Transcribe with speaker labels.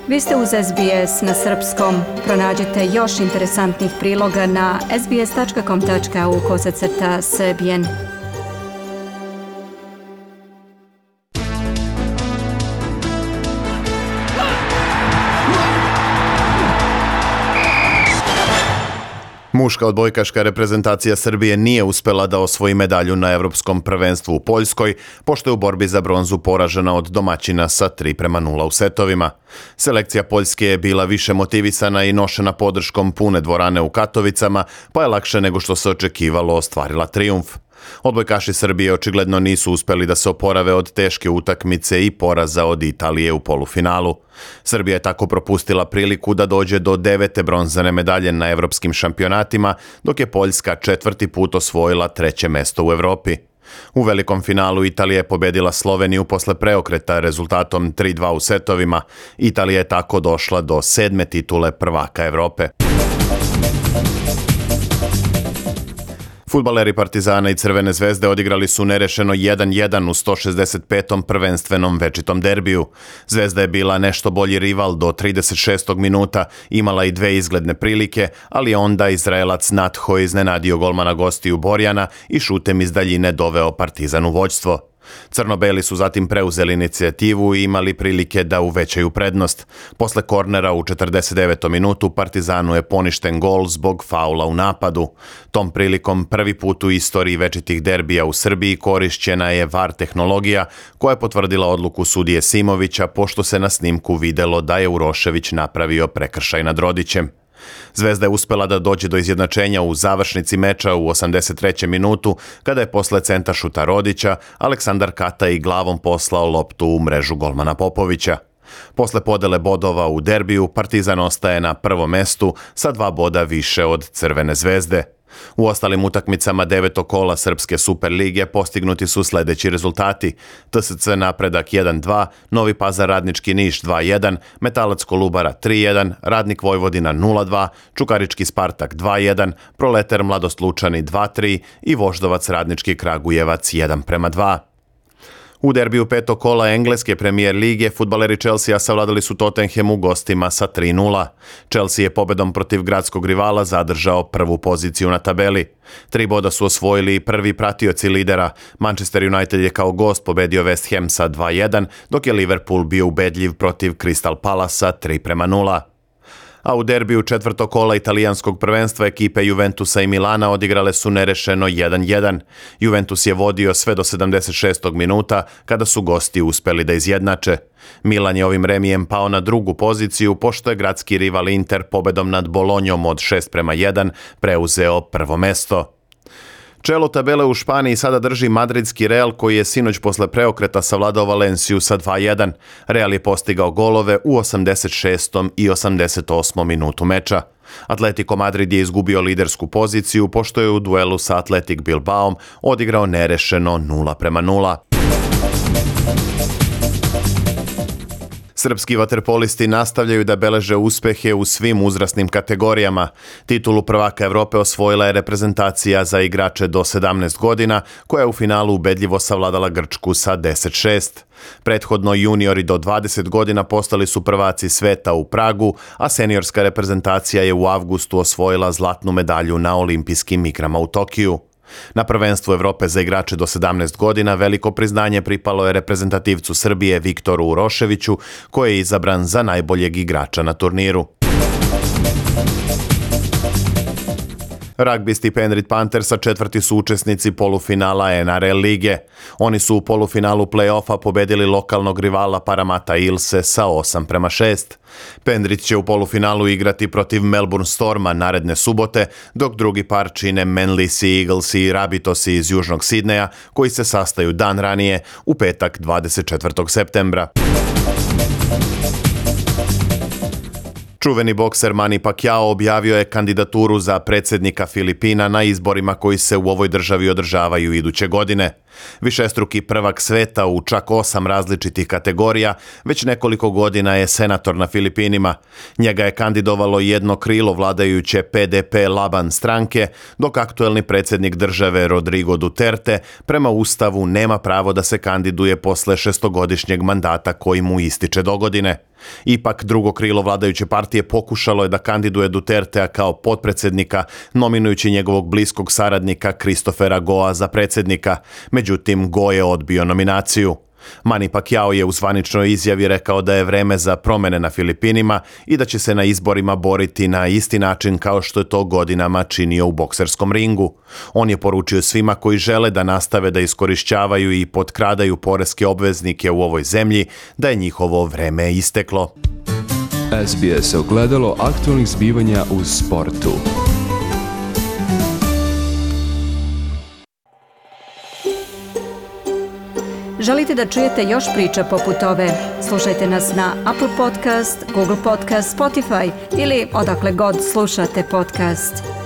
Speaker 1: Vi ste uz SBS na srpskom. Pronađite još interesantnih priloga na sbs.com.au/srbijen.
Speaker 2: Muška odbojkaška reprezentacija Srbije nije uspela da osvoji medalju na Evropskom prvenstvu u Poljskoj, pošto je u borbi za bronzu poražena od domaćina sa 3:0 u setovima. Selekcija Poljske je bila više motivisana i nošena podrškom pune dvorane u Katovicama, pa je lakše nego što se očekivalo ostvarila trijumf. Odbojkaši Srbije očigledno nisu uspeli da se oporave od teške utakmice i poraza od Italije u polufinalu. Srbija je tako propustila priliku da dođe do 9. bronzane medalje na evropskim šampionatima, dok je Poljska 4. put osvojila 3. mesto u Evropi. U velikom finalu Italija je pobedila Sloveniju posle preokreta rezultatom 3:2 u setovima. Italija je tako došla do 7. titule prvaka Evrope. Fudbaleri Partizana i Crvene zvezde odigrali su nerešeno 1:1 u 165. prvenstvenom večitom derbiju. Zvezda je bila nešto bolji rival do 36. minuta, imala i 2 izgledne prilike, ali je onda Izraelac Natho iznenadio golmana gostiju Borjana i šutem iz daljine doveo Partizan u vođstvo. Crno-beli su zatim preuzeli inicijativu i imali prilike da uvećaju prednost. Posle kornera u 49. minutu Partizanu je poništen gol zbog faula u napadu. Tom prilikom prvi put u istoriji večitih derbija u Srbiji korišćena je VAR tehnologija koja je potvrdila odluku sudije Simovića, pošto se na snimku videlo da je Urošević napravio prekršaj nad Rodićem. Zvezda je uspela da dođe do izjednačenja u završnici meča u 83. minutu, kada je posle centašuta Rodića Aleksandar Kataj glavom poslao loptu u mrežu golmana Popovića. Posle podele bodova u derbiju, Partizan ostaje na prvom mestu sa 2 boda više od Crvene zvezde. U ostalim utakmicama 9. kola Srpske Superlige postignuti su sledeći rezultati: TSC Napredak 1:2, Novi Pazar Radnički Niš 2:1, Metalac Kolubara 3:1, Radnik Vojvodina 0:2, Čukarički Spartak 2:1, Proleter Mladost Lučani 2:3 i Voždovac Radnički Kragujevac 1:2. U derbiju 5. kola Engleske premijer lige fudbaleri Chelsea savladali su Tottenhamu gostima sa 3:0. Chelsea je pobedom protiv gradskog rivala zadržao prvu poziciju na tabeli. 3 boda su osvojili i prvi pratioci lidera. Manchester United je kao gost pobedio West Ham sa 2:1, dok je Liverpool bio ubedljiv protiv Crystal Palasa 3:0. A u derbiju 4. kola italijanskog prvenstva ekipe Juventusa i Milana odigrale su nerešeno 1:1. Juventus je vodio sve do 76. minuta, kada su gosti uspeli da izjednače. Milan je ovim remijem pao na drugu poziciju, pošto je gradski rival Inter pobedom nad Bolonjom od 6:1 preuzeo prvo mesto. Čelo tabele u Španiji sada drži madridski Real, koji je sinoć posle preokreta savladao Valenciju sa 2:1. Real je postigao golove u 86. i 88. minutu meča. Atletico Madrid je izgubio lidersku poziciju, pošto je u duelu sa Athletic Bilbaom odigrao nerešeno 0:0. Srpski vaterpolisti nastavljaju da beleže uspehe u svim uzrasnim kategorijama. Titulu prvaka Evrope osvojila je reprezentacija za igrače do 17 godina, koja je u finalu ubedljivo savladala Grčku sa 10:6. Prethodno juniori do 20 godina postali su prvaci sveta u Pragu, a seniorska reprezentacija je u avgustu osvojila zlatnu medalju na olimpijskim igrama u Tokiju. Na prvenstvu Evrope za igrače do 17 godina veliko priznanje pripalo je reprezentativcu Srbije Viktoru Uroševiću, koji je izabran za najboljeg igrača na turniru. Ragbisti Penrith Panthersa 4. su učesnici polufinala NRL lige. Oni su u polufinalu play-offa pobedili lokalnog rivala Parramatta Eelse sa 8:6. Penrith će u polufinalu igrati protiv Melbourne Storma naredne subote, dok drugi par čine Manly Sea Eagles i Rabbitohsi iz Južnog Sidneja, koji se sastaju dan ranije, u petak 24. septembra. Čuveni bokser Manny Pacquiao objavio je kandidaturu za predsjednika Filipina na izborima koji se u ovoj državi održavaju iduće godine. Višestruki prvak sveta u čak 8 različitih kategorija, već nekoliko godina je senator na Filipinima. Njega je kandidovalo jedno krilo vladajuće PDP Laban stranke, dok aktuelni predsjednik države Rodrigo Duterte prema Ustavu nema pravo da se kandiduje posle 6-godišnjeg mandata koji mu ističe dogodine. Ipak, drugo krilo vladajuće partije pokušalo je da kandiduje Dutertea kao potpredsjednika, nominujući njegovog bliskog saradnika Christophera Goa za predsjednika. Međutim, Go je odbio nominaciju. Manny Pacquiao je u zvaničnoj izjavi rekao da je vreme za promjene na Filipinima i da će se na izborima boriti na isti način kao što je to godinama činio u bokserskom ringu. On je poručio svima koji žele da nastave da iskorišćavaju i potkradaju poreske obveznike u ovoj zemlji da je njihovo vreme isteklo.
Speaker 3: SBS ogledalo aktualnih zbivanja u sportu.
Speaker 1: Želite da čujete još priča poput ove? Slušajte nas na Apple Podcast, Google Podcast, Spotify ili odakle god slušate podcast.